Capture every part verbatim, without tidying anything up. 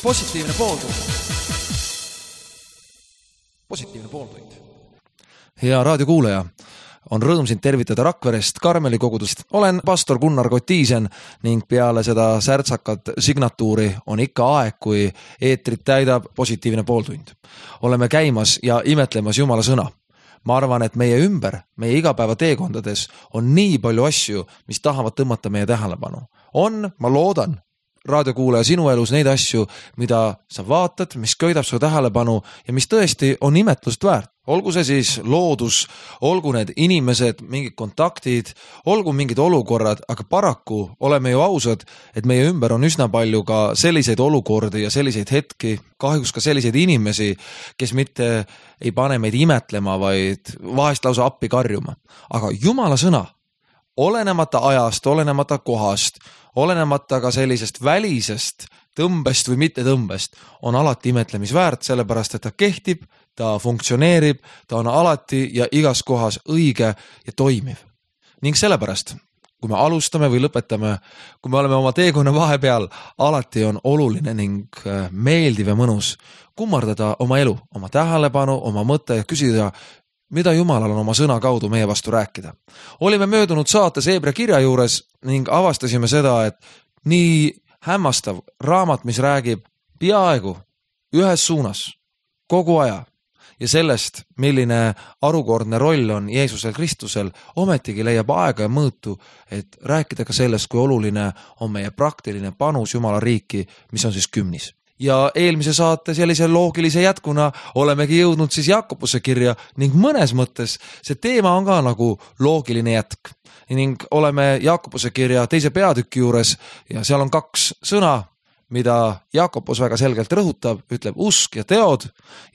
Positiivne pooltund. Positiivne pooltund. Hea raadiokuulaja, on rõõm sind tervitada Rakverest Karmeli kogudust. Olen pastor Gunnar Kotiisen ning peale seda särtsakat signatuuri on ikka aeg, kui eetrit täidab Positiivne pooltund. Oleme käimas ja imetlemas Jumala sõna. Ma arvan, et meie ümber, meie igapäeva teekondades on nii palju asju, mis tahavad tõmmata meie tähelepanu. On, ma loodan, raadiokuulaja sinu elus neid asju, mida sa vaatad, mis köidab su tähelepanu ja mis tõesti on imetlust väärt. Olgu see siis loodus, olgu need inimesed, mingid kontaktid, olgu mingid olukorrad, aga paraku oleme ju ausad, et meie ümber on üsna palju ka selliseid olukordi ja selliseid hetki, kahjuks ka selliseid inimesi, kes mitte ei pane meid imetlema, vaid vahest lausa appi karjuma. Aga Jumala sõna, olenemata ajast, olenemata kohast, olenemata ka sellisest välisest tõmbest või mitte tõmbest, on alati imetlemisväärt, sellepärast et ta kehtib, ta funktsioneerib, ta on alati ja igas kohas õige ja toimiv. Ning sellepärast, kui me alustame või lõpetame, kui me oleme oma teekonna vahepeal, alati on oluline ning meeldiv ja mõnus kummardada oma elu, oma tähelepanu, oma mõtte ja küsida, mida Jumalal on oma sõna kaudu meie vastu rääkida. Olime möödunud saates Hebra kirja juures ning avastasime seda, et nii hämmastav raamat, mis räägib peaaegu ühes suunas kogu aja ja sellest, milline arukordne roll on Jeesusel Kristusel, ometigi leiab aega ja mõõtu, et rääkida ka sellest, kui oluline on meie praktiline panus Jumala riiki, mis on siis kümnis. Ja eelmise saate sellise loogilise jätkuna olemegi jõudnud siis Jakobuse kirja ning mõnes mõttes see teema on ka nagu loogiline jätk. Ning oleme Jakobuse kirja teise peatüki juures ja seal on kaks sõna, mida Jakobus väga selgelt rõhutab, ütleb usk ja teod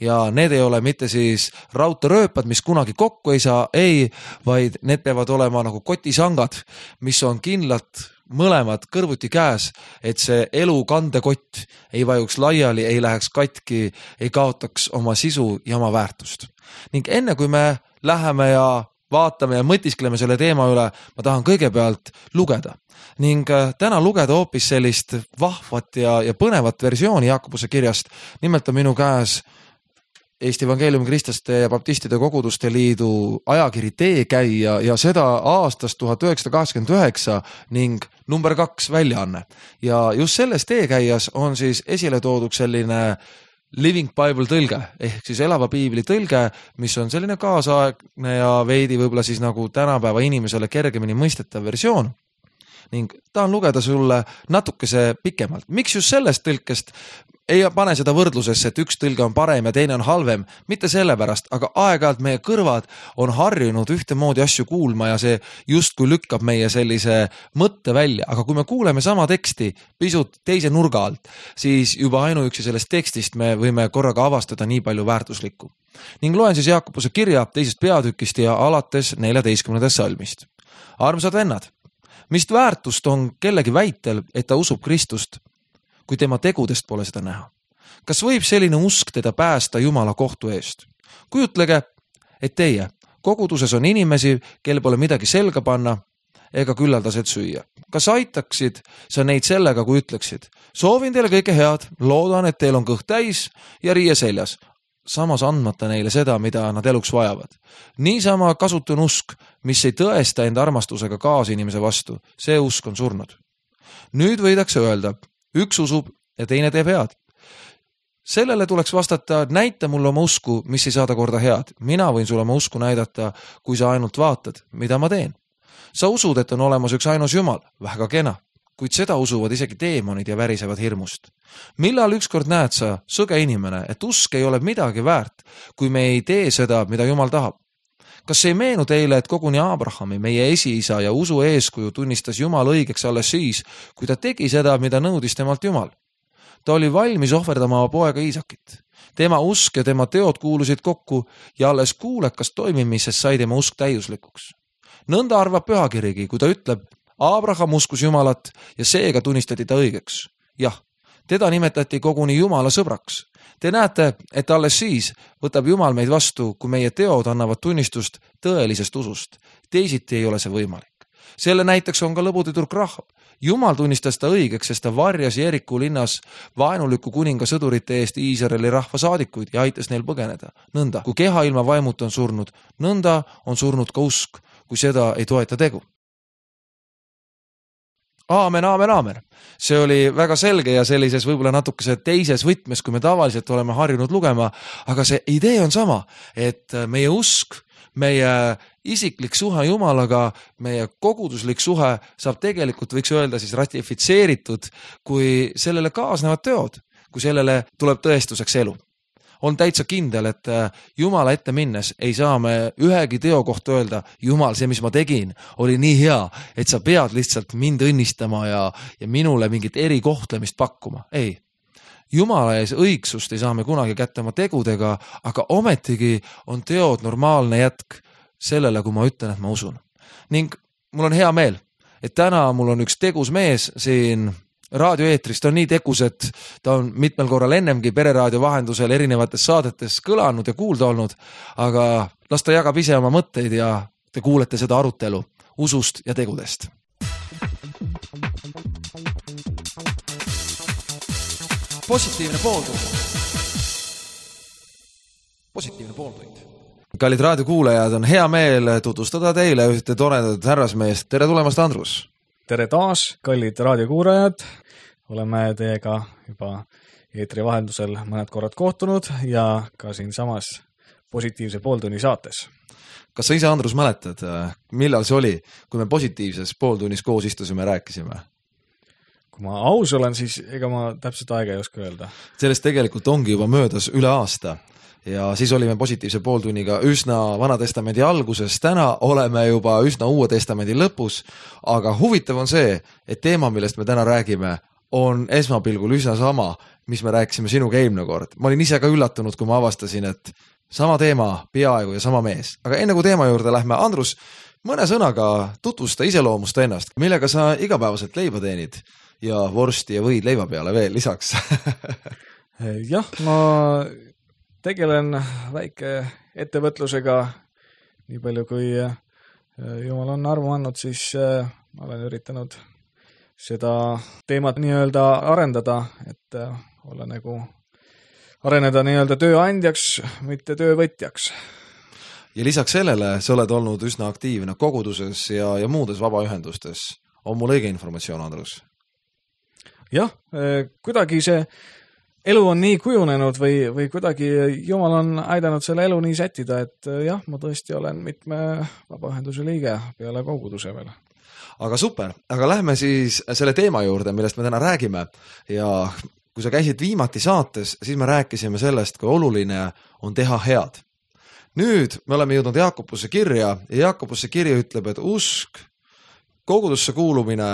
ja need ei ole mitte siis raudteerööpad, mis kunagi kokku ei saa, ei, vaid need peavad olema nagu kotisangad, mis on kindlalt mõlemad kõrvuti käes, et see elu kandekott ei vajuks laiali, ei läheks katki, ei kaotaks oma sisu ja oma väärtust. Ning enne kui me läheme ja vaatame ja mõtiskleme selle teema üle, ma tahan kõigepealt lugeda. Ning täna lugeda hoopis sellist vahvat ja, ja põnevat versiooni Jakobuse kirjast. Nimelt on minu käes Eesti Evangeeliumi Kristlaste ja Baptistide Koguduste Liidu ajakiri Teekäija ja seda aastast tuhat üheksasada kaheksakümmend üheksa ning number kaks väljaanne. Ja just selles Teekäijas on siis esile toodud selline Living Bible tõlge, ehk siis elava piibli tõlge, mis on selline kaasaegne ja veidi võib-olla siis nagu tänapäeva inimesele kergemini mõistetav versioon. Ning tahan lugeda sulle natukese pikemalt. Miks just sellest tõlkest ei pane seda võrdlusesse, et üks tõlge on parem ja teine on halvem, mitte sellepärast, aga aeg-ajalt meie kõrvad on harjunud ühtemoodi asju kuulma ja see justkui lükkab meie sellise mõtte välja, aga kui me kuuleme sama teksti pisut teise nurga alt, siis juba ainuüksi sellest tekstist me võime korraga avastada nii palju väärtuslikku. Ning loen siis Jakobuse kirja teisest peatükist ja alates neljateistkümnendast salmist. Armsad vennad, mis väärtust on kellegi väitel, et ta usub Kristust, kui tema tegudest pole seda näha? Kas võib selline usk teda päästa Jumala kohtu eest? Kujutlege, et teie koguduses on inimesi, kel pole midagi selga panna ega küllaldased süüa. Kas aitaksid sa neid sellega, kui ütleksid? Soovin teile kõike head, loodan, et teil on kõht täis ja riie seljas, samas andmata neile seda, mida nad eluks vajavad. Niisama kasutun usk, mis ei tõesta enda armastusega kaasinimese vastu. See usk on surnud. Nüüd võidakse öelda, üks usub ja teine teeb head. Sellele tuleks vastata, näita mulle oma usku, mis ei saada korda head. Mina võin sulle oma usku näidata, kui sa ainult vaatad, mida ma teen. Sa usud, et on olemas üks ainus Jumal, väga kena, kuid seda usuvad isegi teemonid ja värisevad hirmust. Millal ükskord näed sa, sõge inimene, et usk ei ole midagi väärt, kui me ei tee seda, mida Jumal tahab? Kas ei meenu teile, et koguni Abrahami, meie esiisa ja usu eeskuju tunnistas Jumal õigeks alles siis, kui ta tegi seda, mida nõudis temalt Jumal? Ta oli valmis ohverdama oma poega Iisakit. Tema usk ja tema teod kuulusid kokku ja alles kuulekas toimimises sai tema usk täiuslikuks. Nõnda arvab pühakirigi, kui ta ütleb, Abraham uskus Jumalat ja seega tunnistati ta õigeks. Jah, teda nimetati koguni Jumala sõbraks. Te näete, et alles siis võtab Jumal meid vastu, kui meie teod annavad tunnistust tõelisest usust. Teisiti ei ole see võimalik. Selle näiteks on ka lõbutüdruk Rahab. Jumal tunnistas ta õigeks, sest ta varjas Jeriku linnas vaenuliku kuninga sõdurite eest Iisraeli rahva saadikuid ja aitas neil põgeneda. Nõnda, kui keha ilma vaimut on surnud, nõnda on surnud ka usk, kui seda ei toeta tegu. Aamen, aamen, aamen. See oli väga selge ja sellises võib-olla natukese teises võtmes, kui me tavaliselt oleme harjunud lugema, aga see idee on sama, et meie usk, meie isiklik suhe Jumalaga, meie koguduslik suhe saab tegelikult, võiks öelda siis ratifitseeritud, kui sellele kaasnevad teod, kui sellele tuleb tõestuseks elu. On täitsa kindel, et Jumala ette minnes ei saa me ühegi teo kohta öelda, Jumal, see, mis ma tegin, oli nii hea, et sa pead lihtsalt mind õnnistama ja, ja minule mingit erikohtlemist pakkuma. Ei. Jumala ees õigsust ei saa me kunagi kätte oma tegudega, aga ometigi on teod normaalne jätk sellele, kui ma ütlen, et ma usun. Ning mul on hea meel, et täna mul on üks tegus mees siin raadioeetrist, on nii tegus, et ta on mitmel korral ennemgi pereraadio vahendusel erinevates saadetes kõlanud ja kuulda olnud, aga las ta jagab ise oma mõtteid ja te kuulete seda arutelu usust ja tegudest. Positiivne pooltund. Positiivne pooltund. Kallid raadiokuulajad, on hea meel tutvustada teile ühte toredat härrasmeest. Tere tulemast, Andrus! Tere taas, kallid raadiokuulajad! Oleme teiega juba eetri vahendusel mõned korrad kohtunud ja ka siin samas positiivse pooltunni saates. Kas sa ise, Andrus, mäletad, millal see oli, kui me positiivses pooltunnis koos istusime ja rääkisime? Kui ma aus olen, siis ega ma täpselt aega ei oska öelda. Sellest tegelikult ongi juba möödas üle aasta. Ja siis olime positiivse pooltunniga üsna Vana Testamendi alguses, täna oleme juba üsna Uue Testamendi lõpus, aga huvitav on see, et teema, millest me täna räägime, on esmapilgul üsna sama, mis me rääkisime sinuga eelmine kord. Ma olin ise ka üllatunud, kui ma avastasin, et sama teema, peaaegu ja sama mees. Aga enne kui teema juurde lähme, Andrus, mõne sõnaga tutvusta iseloomusta ennast, millega sa igapäevaselt leiba teenid ja vorsti ja võid leiva peale veel lisaks. Jah, ma tegelen väike ettevõtlusega, nii palju kui Jumal on arvu andnud, siis ma olen üritanud seda teemat nii-öelda arendada, et olla nagu areneda nii-öelda tööandjaks, mitte töövõtjaks. Ja lisaks sellele sa oled olnud üsna aktiivne koguduses ja, ja muudes vabaühendustes. On mul õige informatsioon, Andrus? Jah, kuidagi see elu on nii kujunenud või, või kuidagi Jumal on aidanud selle elu nii sättida, et jah, ma tõesti olen mitme vabaühenduse liige peale koguduse veel. Aga super, aga lähme siis selle teema juurde, millest me täna räägime ja kui sa käisid viimati saates, siis me rääkisime sellest, kui oluline on teha head. Nüüd me oleme jõudnud Jaakobusse kirja ja Jaakobusse kirja ütleb, et usk, kogudusse kuulumine,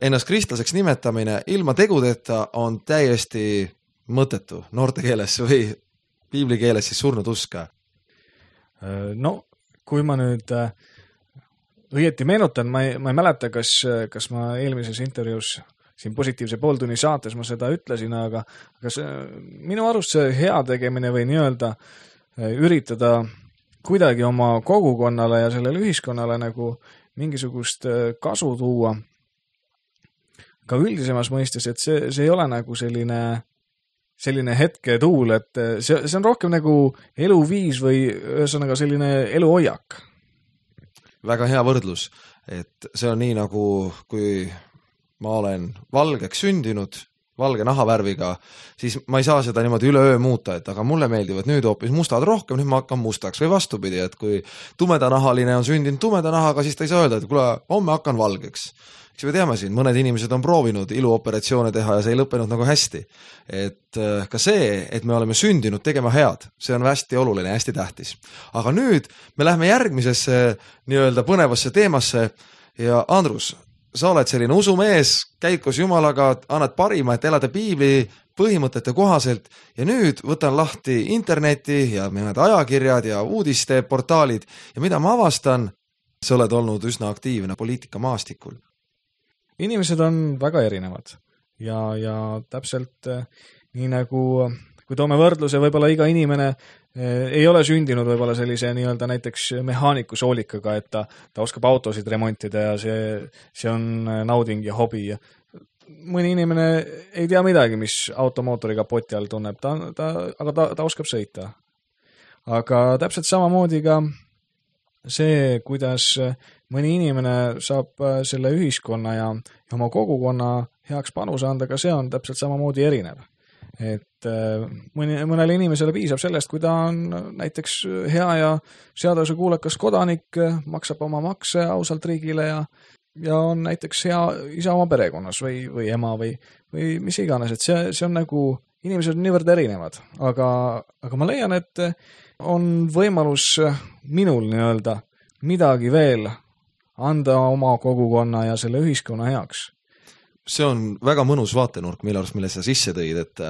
ennast kristlaseks nimetamine ilma tegudeta on täiesti mõttetu noorte keeles või piibli keeles siis surnud uska. No, kui ma nüüd õieti meenutan, ma ei, ma ei mäleta, kas, kas ma eelmises intervjuus siin positiivse pooltunni saates ma seda ütlesin, aga, aga see, minu arust see hea tegemine või nii-öelda üritada kuidagi oma kogukonnale ja sellele ühiskonnale nagu mingisugust kasu tuua ka üldisemas mõistes, et see, see ei ole nagu selline, selline hetke tuul, et see, see on rohkem nagu eluviis või ühesõnaga selline eluhoiak. Väga hea võrdlus, et see on nii nagu, kui ma olen valgeks sündinud, valge nahavärviga, siis ma ei saa seda niimoodi üleöö muuta, et aga mulle meeldivad nüüd hoopis mustad rohkem, nüüd ma hakkan mustaks või vastupidi, et kui tumedanahaline on sündinud tumeda nahaga, siis ta ei saa öelda, et kuule, homme hakkan valgeks. Eks me teame siin, mõned inimesed on proovinud iluoperatsioone teha ja see ei lõppenud nagu hästi. Et ka see, et me oleme sündinud tegema head, see on hästi oluline ja hästi tähtis. Aga nüüd me lähme järgmisesse nii-öelda põnevasse teemasse ja Andrus, sa oled selline usumees, käid koos Jumalaga, annad parima, et elada piibli põhimõtete kohaselt ja nüüd võtan lahti interneti ja mõned ajakirjad ja uudisteportaalid ja mida ma avastan, sa oled olnud üsna aktiivne poliitika maastikul. Inimesed on väga erinevad ja, ja täpselt nii nagu kui toome võrdluse, võib-olla iga inimene ei ole sündinud võib-olla sellise nii-öelda näiteks mehaaniku soolikaga, et ta, ta oskab autosid remontida ja see, see on nauding ja hobi. Mõni inimene ei tea midagi, mis automootori kapoti all tunneb, ta, ta, aga ta, ta oskab sõita. Aga täpselt samamoodi ka see, kuidas mõni inimene saab selle ühiskonna ja, ja oma kogukonna heaks panuse anda, ka see on täpselt samamoodi erinev. Et mõni, mõnele inimesele piisab sellest, kui ta on näiteks hea ja seaduse kuulekas kodanik, maksab oma makse ausalt riigile ja, ja on näiteks hea isa oma perekonnas või, või ema või, või mis iganes, et see, see on nagu, inimesed on niivõrd erinevad, aga, aga ma leian, et on võimalus minul nii-öelda midagi veel anda oma kogukonna ja selle ühiskonna heaks. See on väga mõnus vaatenurk, mille arust, mille sa sisse tõid, et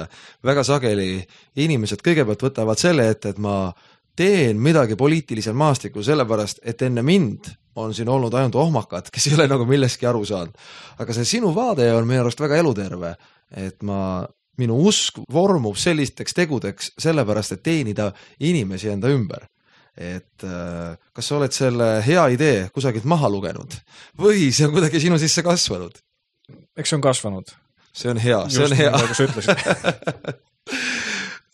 väga sageli inimesed kõigepealt võtavad selle ette, et ma teen midagi poliitilisel maastikul sellepärast, et enne mind on siin olnud ainult ohmakad, kes ei ole nagu millestki aru saanud. Aga see sinu vaade on minu arust väga eluterve, et ma, minu usk vormub sellisteks tegudeks sellepärast, et teenida inimesi enda ümber. Et kas sa oled selle hea idee kusagilt maha lugenud või see on kuidagi sinu sisse kasvanud? Eks see on kasvanud. See on hea, see on hea.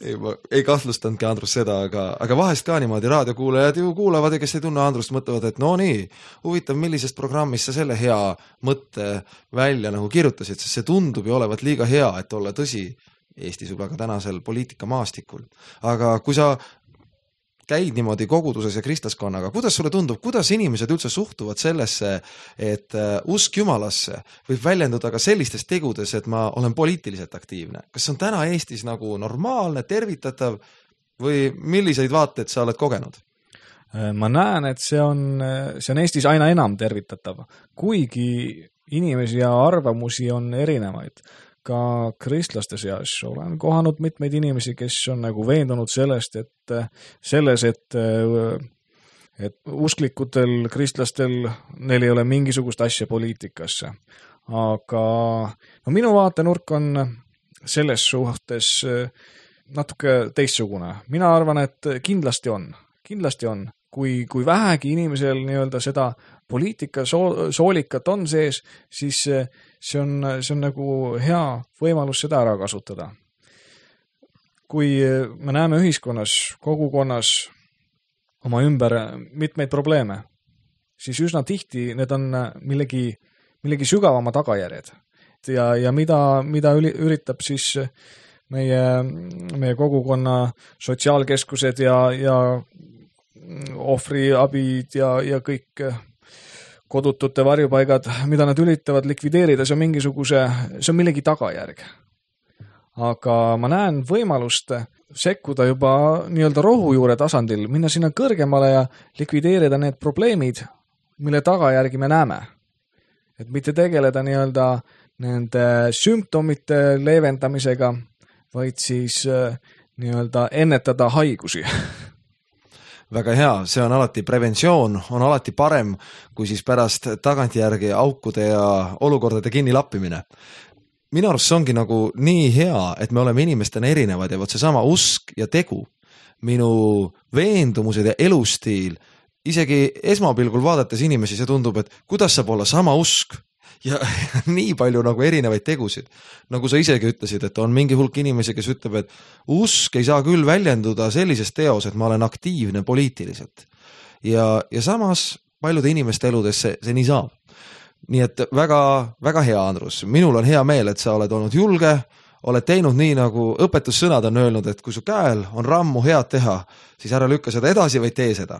ei, ma ei kahtlustanudki Andrus seda, aga, aga vahest ka niimoodi raadiokuulajad ju kuulavad ja kes ei tunne Andrust, mõtlevad, et no nii, huvitav, millisest programmist sa selle hea mõtte välja nagu kirjutasid, sest see tundub ju olevat liiga hea, et olla tõsi Eestis juba ka tänasel poliitikamaastikul. Aga kui sa käid niimoodi koguduses ja kristlaskonnaga, kuidas sulle tundub, kuidas inimesed üldse suhtuvad sellesse, et usk Jumalasse võib väljenduda ka sellistes tegudes, et ma olen poliitiliselt aktiivne? Kas see on täna Eestis nagu normaalne, tervitatav või milliseid vaateid sa oled kogenud? Ma näen, et see on, see on Eestis aina enam tervitatav, kuigi inimesi ja arvamusi on erinevaid. Ka kristlaste seas olen kohanud mitmeid inimesi, kes on nagu veendunud sellest, et selles, et, et usklikutel kristlastel neil ei ole mingisugust asja poliitikasse. Aga no minu vaatenurk on selles suhtes natuke teistsugune. Mina arvan, et kindlasti on. Kindlasti on. Kui, kui vähegi inimesel nii-öelda seda poliitika soolikat on sees, siis see on, see on nagu hea võimalus seda ära kasutada. Kui me näeme ühiskonnas, kogukonnas oma ümber mitmeid probleeme, siis üsna tihti need on millegi, millegi sügavama tagajärjed. Ja, ja mida, mida üritab siis meie, meie kogukonna sotsiaalkeskused ja, ja ohvriabid ja, ja kõik kodutute varjupaigad, mida nad üritavad likvideerida, see on mingisuguse, see on millegi tagajärg. Aga ma näen võimalust sekkuda juba nii-öelda rohujuure tasandil, minna sinna kõrgemale ja likvideerida need probleemid, mille tagajärgi me näeme. Et mitte tegeleda nii-öelda nende sümptomite leevendamisega, vaid siis nii-öelda ennetada haigusi. Väga hea, see on alati preventsioon, on alati parem kui siis pärast tagantjärgi aukude ja olukordade kinni lappimine. Minu arust see ongi nagu nii hea, et me oleme inimestena erinevad ja võt see sama usk ja tegu, minu veendumused ja elustiil, isegi esmapilgul vaadates inimesi see tundub, et kuidas saab olla sama usk ja nii palju nagu erinevaid tegusid. Nagu sa isegi ütlesid, et on mingi hulk inimesi, kes ütleb, et usk ei saa küll väljenduda sellises teos, et ma olen aktiivne poliitiliselt. Ja, ja samas paljude inimeste eludes see, see nii saab. Nii et väga, väga hea, Andrus. Minul on hea meel, et sa oled olnud julge, oled teinud nii, nagu õpetussõnad on öelnud, et kui su käel on rammu head teha, siis ära lükka seda edasi või tee seda.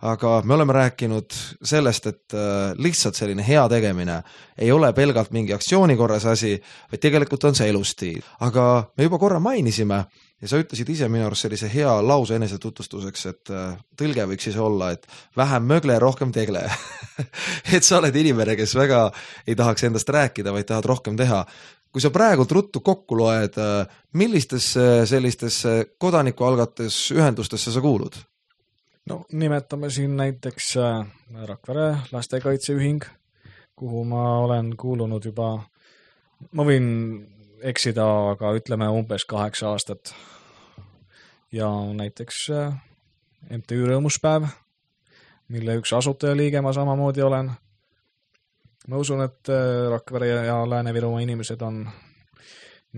Aga me oleme rääkinud sellest, et lihtsalt selline hea tegemine ei ole pelgalt mingi aktsiooni korras asi, vaid tegelikult on see elustiil. Aga me juba korra mainisime ja sa ütlesid ise minu arust sellise hea lause enese tutvustuseks, et tõlge võiks siis olla, et vähem mögle, rohkem tegle. Et sa oled inimene, kes väga ei tahaks endast rääkida, vaid tahad rohkem teha. Kui sa praegu ruttu kokku loed, millistes sellistes kodanikualgates ühendustesse sa kuulud? No nimetame siin näiteks Rakvere lastekaitseühing, kuhu ma olen kuulunud juba, ma võin eksida, aga ütleme umbes kaheksa aastat. ja näiteks M T Ü Rõõmuspäev, mille üks asutajaliige ma samamoodi olen. Ma usun, et Rakvere ja Lääne-Virumaa inimesed on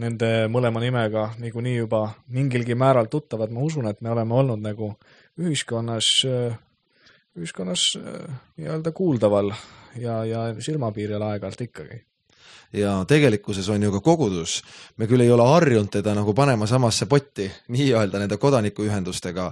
nende mõlema nimega niikuinii juba mingilgi määral tuttavad. Ma usun, et me oleme olnud nagu ühiskonnas, ühiskonnas nii-öelda kuuldaval ja, ja silmapiiril aeg-ajalt ikkagi. Ja tegelikkuses on ju ka kogudus. Me küll ei ole harjunud teda nagu panema samasse potti, nii-öelda nende kodanikuühendustega,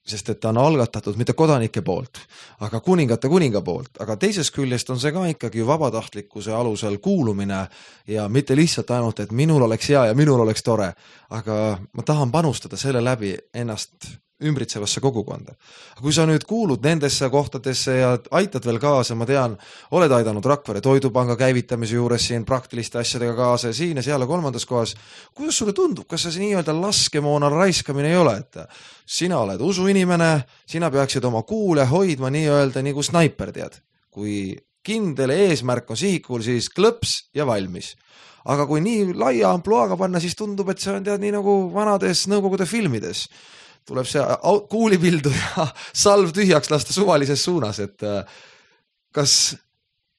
sest et ta on algatatud mitte kodanike poolt, aga kuningate kuninga poolt. Aga teisest küljest on see ka ikkagi vabatahtlikkuse alusel kuulumine ja mitte lihtsalt ainult, et minul oleks hea ja minul oleks tore, aga ma tahan panustada selle läbi ennast ümbritsevasse kogukonda. Kui sa nüüd kuulud nendesse kohtadesse ja aitad veel kaasa, ma tean, oled aidanud Rakvere Toidupanga käivitamise juures siin praktiliste asjadega kaasa ja siin ja seal ja kolmandas kohas, kuidas sulle tundub, kas see nii-öelda laskemoona raiskamine ei ole, et sina oled usuinimene, sina peaksid oma kuule hoidma nii-öelda nagu snaiper, tead. Kui kindel eesmärk on sihikul, siis klõps ja valmis. Aga kui nii laia ampluaaga panna, siis tundub, et see on tead nii nagu vanades nõukogude filmides. Tuleb see kuulipildu ja salv tühjaks lasta suvalises suunas, et kas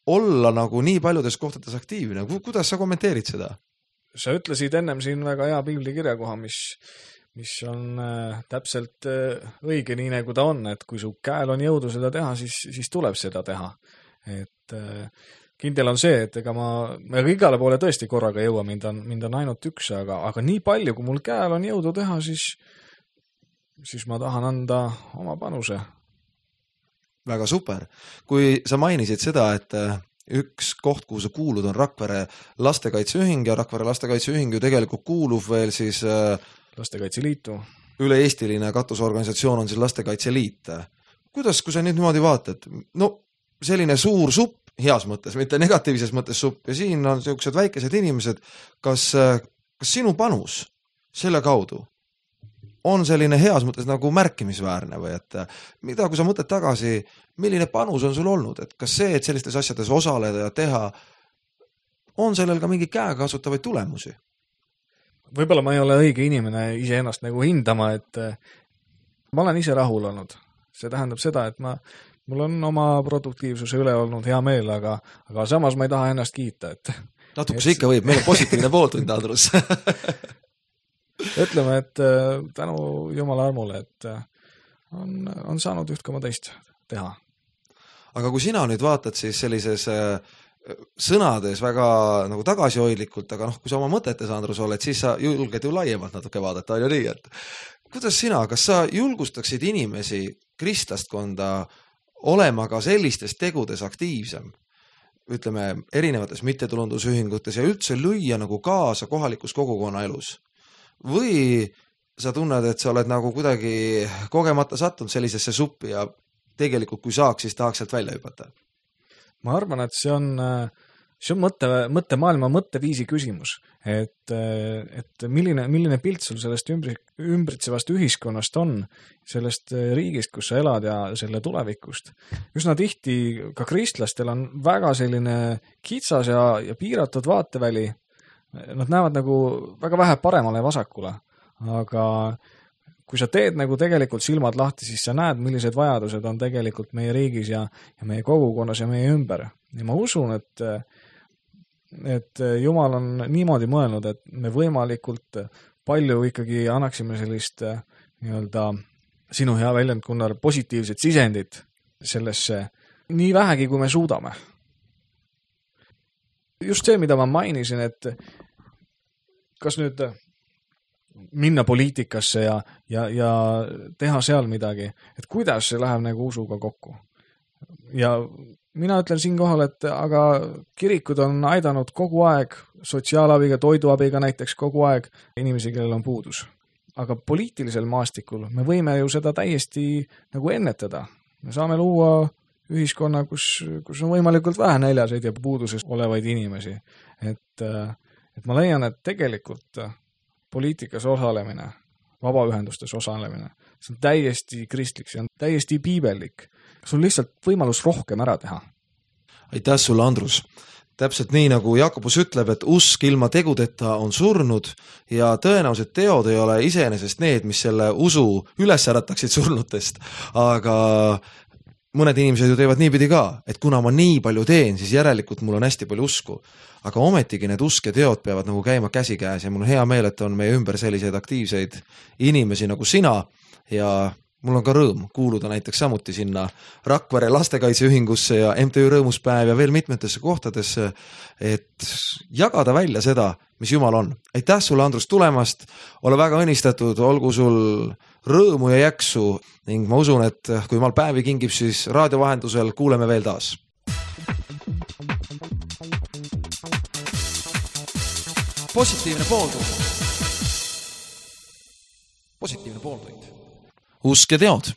olla nagu nii paljudes kohtades aktiivne, kuidas sa kommenteerid seda? Sa ütlesid ennem siin väga hea piibli kirjakoha, mis, mis on äh, täpselt äh, õige nii nagu ta on, et kui su käel on jõudu seda teha, siis, siis tuleb seda teha. Et äh, kindel on see, et ega ma, ma igale poole tõesti korraga jõua, mind on, mind on ainult üks, aga, aga nii palju, kui mul käel on jõudu teha, siis siis ma tahan anda oma panuse. Väga super. Kui sa mainisid seda, et üks koht, kuhu sa kuulud, on Rakvere Lastekaitseühing ja Rakvere Lastekaitseühing ju tegelikult kuulub veel siis Lastekaitseliitu. Üle-eestiline katusorganisatsioon on siis Lastekaitseliit. Kuidas, kui sa nüüd niimoodi vaatad, no selline suur supp, heas mõttes, mitte negatiivses mõttes supp, ja siin on sellised väikesed inimesed, kas, kas sinu panus selle kaudu on selline heas mõttes nagu märkimisväärne või et mida, kui sa mõtled tagasi, milline panus on sul olnud, et kas see, et sellistes asjades osaleda ja teha, on sellel ka mingi käega kasutavaid tulemusi? Võib-olla ma ei ole õige inimene ise ennast nagu hindama, et ma olen ise rahul olnud. See tähendab seda, et ma, mul on oma produktiivsuse üle olnud hea meel, aga, aga samas ma ei taha ennast kiita. Et, natuke see ikka võib, meil on positiivne pooltund, Andrus. Ütleme, et tänu Jumala armule, et on, on saanud üht koma teist teha. Aga kui sina nüüd vaatad siis sellises sõnades väga nagu tagasihoidlikult, aga noh, kui sa oma mõtetes, Andrus, oled, siis sa julged ju laiemalt natuke vaadata, on ju nii, et kuidas sina, kas sa julgustaksid inimesi kristlastkonda olema ka sellistes tegudes aktiivsem, ütleme, erinevates mittetulundusühingutes ja üldse lüüa nagu kaasa kohalikus kogukonna elus? Või sa tunned, et sa oled nagu kuidagi kogemata sattunud sellisesse suppi ja tegelikult kui saaks, siis tahaks sealt välja hüpata? Ma arvan, et see on, see on mõtte, mõttemaailma mõtteviisi küsimus, et, et milline, milline pilt sul sellest ümbri, ümbritsevast ühiskonnast on, sellest riigist, kus sa elad ja selle tulevikust. Üsna tihti ka kristlastel on väga selline kitsas ja, ja piiratud vaateväli. Nad näevad nagu väga vähe paremale ja vasakule, aga kui sa teed nagu tegelikult silmad lahti, siis sa näed, millised vajadused on tegelikult meie riigis ja, ja meie kogukonnas ja meie ümber. Ja ma usun, et, et Jumal on niimoodi mõelnud, et me võimalikult palju ikkagi annaksime sellist nii-öelda sinu hea väljend, Gunnar, positiivset sisendit sellesse nii vähegi, kui me suudame. Just see, mida ma mainisin, et kas nüüd minna poliitikasse ja, ja, ja teha seal midagi, et kuidas see läheb nagu usuga kokku. Ja mina ütlen siinkohal, et aga kirikud on aidanud kogu aeg sotsiaalabiga, toiduabiga näiteks kogu aeg inimesi, kellel on puudus. Aga poliitilisel maastikul me võime ju seda täiesti nagu ennetada. Me saame luua ühiskonna, kus, kus on võimalikult vähe näljaseid ja puuduses olevaid inimesi. Et, et ma leian, et tegelikult poliitikas osalemine, vabaühendustes osalemine, see on täiesti kristlik, see on täiesti piibellik. See on lihtsalt võimalus rohkem ära teha. Aitäh sulle, Andrus! täpselt nii, nagu Jakobus ütleb, et usk ilma tegudeta on surnud ja tõenäoliselt teod ei ole iseenesest need, mis selle usu üles ärataksid surnutest, aga mõned inimesed ju teevad niipidi ka, et kuna ma nii palju teen, siis järelikult mul on hästi palju usku. Aga ometigi need usk ja teod peavad nagu käima käsikäes ja mul on hea meel, et on meie ümber selliseid aktiivseid inimesi nagu sina ja mul on ka rõõm kuuluda näiteks samuti sinna Rakvere lastekaitseühingusse ja M T Ü Rõõmuspäev ja veel mitmetesse kohtadesse, et jagada välja seda, mis Jumal on. Aitäh sulle, Andrus, tulemast, ole väga õnnistatud, olgu sul rõõmu ja jaksu ning ma usun, et kui Jumal päevi kingib, siis raadio vahendusel kuuleme veel taas. Positiivne pooltund. Positiivne pooltund. Usk ja teod.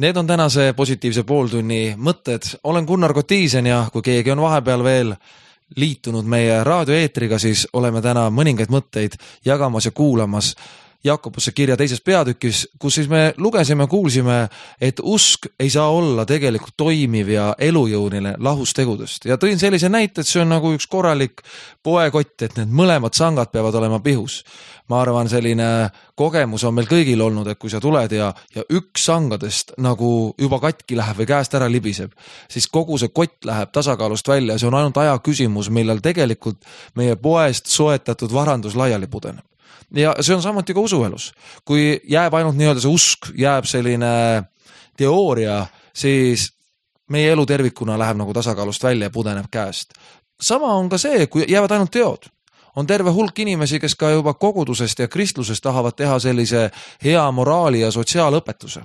Need on tänase positiivse pooltunni mõtted. Olen Gunnar Kotiisen ja kui keegi on vahepeal veel liitunud meie raadioeetriga, siis oleme täna mõningaid mõtteid jagamas ja kuulamas Jakobuse kirja teises peatükis, kus siis me lugesime, kuulsime, et usk ei saa olla tegelikult toimiv ja elujõuline lahus tegudest. Ja tõin sellise näite, et see on nagu üks korralik poekott, et need mõlemad sangad peavad olema pihus. Ma arvan, selline kogemus on meil kõigil olnud, et kui sa tuled ja, ja üks sangadest nagu juba katki läheb või käest ära libiseb, siis kogu see kott läheb tasakaalust välja. See on ainult aja küsimus, millal tegelikult meie poest soetatud varandus laiali pudeneb. Ja see on samuti ka usuelus. Kui jääb ainult nii-öelda see usk, jääb selline teooria, siis meie elu tervikuna läheb nagu tasakaalust välja ja pudeneb käest. Sama on ka see, kui jäävad ainult teod. On terve hulk inimesi, kes ka juba kogudusest ja kristlusest tahavad teha sellise hea moraali ja sotsiaalõpetuse.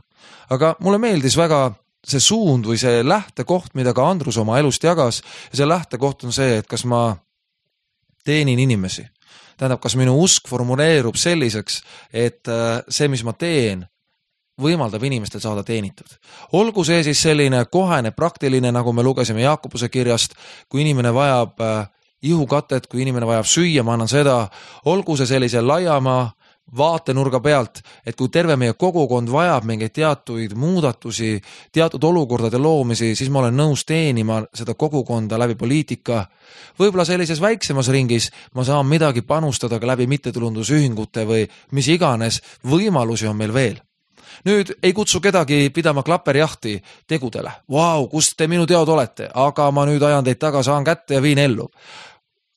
Aga mulle meeldis väga see suund või see lähtekoht, mida ka Andrus oma elust jagas. Ja see lähtekoht on see, et kas ma teenin inimesi. Tähendab, kas minu usk formuleerub selliseks, et see, mis ma teen, võimaldab inimestel saada teenitud. Olgu see siis selline kohene, praktiline, nagu me lugesime Jakobuse kirjast, kui inimene vajab ihukatet, kui inimene vajab süüa, ma annan seda, olgu see sellise laiama vaatenurga pealt, et kui terve meie kogukond vajab mingeid teatuid muudatusi, teatud olukordade loomisi, siis ma olen nõus teenima seda kogukonda läbi poliitika. Võib-olla sellises väiksemas ringis ma saan midagi panustada ka läbi mittetulundusühingute või mis iganes võimalusi on meil veel. Nüüd ei kutsu kedagi pidama klaperjahti tegudele. Vau, kust te minu teod olete, aga ma nüüd ajan teid taga, saan kätte ja viin ellu.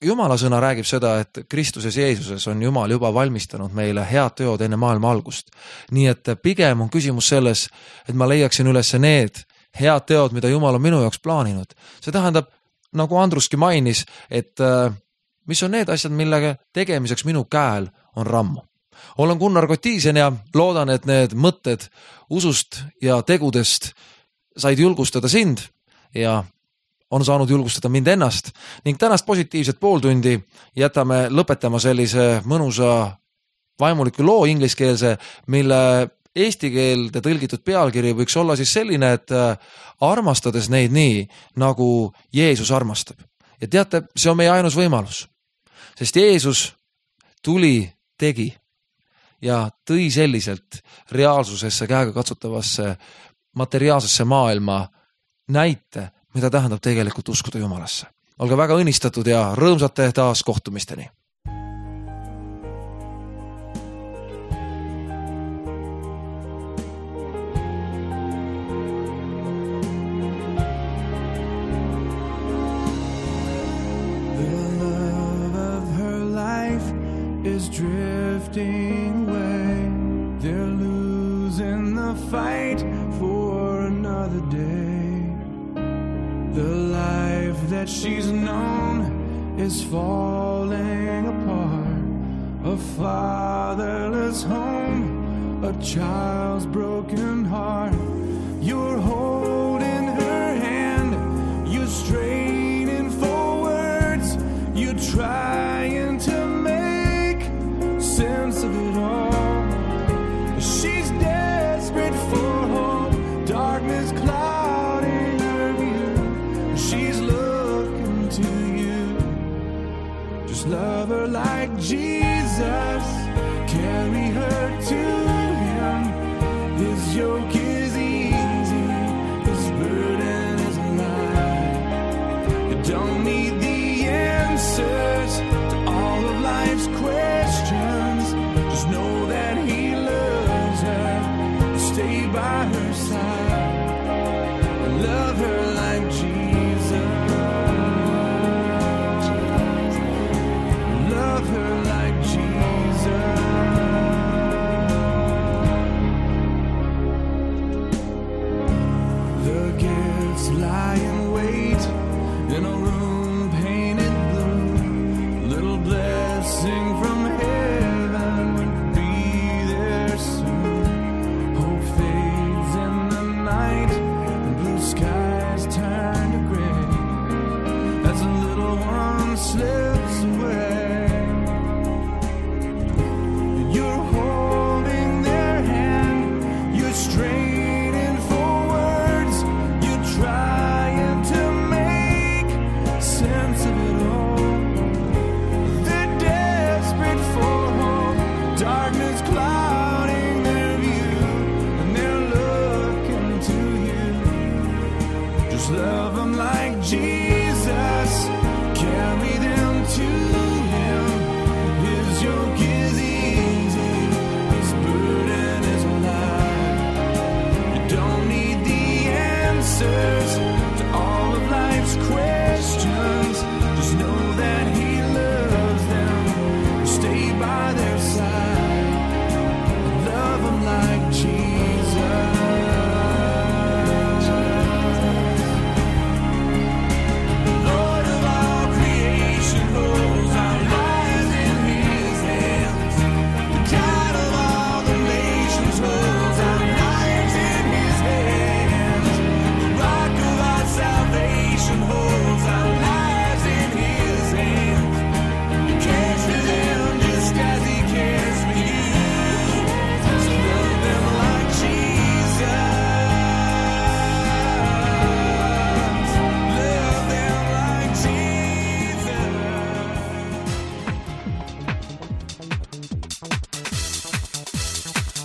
Jumala sõna räägib seda, et Kristuses Jeesuses on Jumal juba valmistanud meile head teod enne maailma algust. Nii et pigem on küsimus selles, et ma leiaksin üles need head teod, mida Jumal on minu jaoks plaaninud. See tähendab, nagu Andruski mainis, et mis on need asjad, millega tegemiseks minu käel on rammu. Olen Gunnar Kotiisen ja loodan, et need mõtted usust ja tegudest said julgustada sind ja on saanud julgustada mind ennast ning tänast positiivset pooltundi jätame lõpetama sellise mõnusa vaimuliku loo ingliskeelse, mille eesti keelde tõlgitud pealkiri võiks olla siis selline, et armastades neid nii, nagu Jeesus armastab. Ja teate, see on meie ainus võimalus, sest Jeesus tuli, tegi ja tõi selliselt reaalsusesse, käega katsutavasse, materiaalsesse maailma näite, mida tähendab tegelikult uskuda Jumalasse. Olge väga õnnistatud ja rõõmsate taas kohtumisteni. The love of her life is drifting away. They're losing the fight for another day. The life that she's known is falling apart. A fatherless home, a child's broken heart. You're holding her hand, you're straining for words, you're trying to make sense of it all. She's desperate for hope, darkness clouding her view. She's looking to you. Just love her like Jesus. Carry her to Him. His yoke is easy. His burden is light. You don't need the end.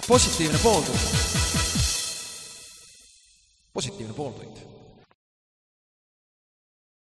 positiivne pooltund. positiivne pooltund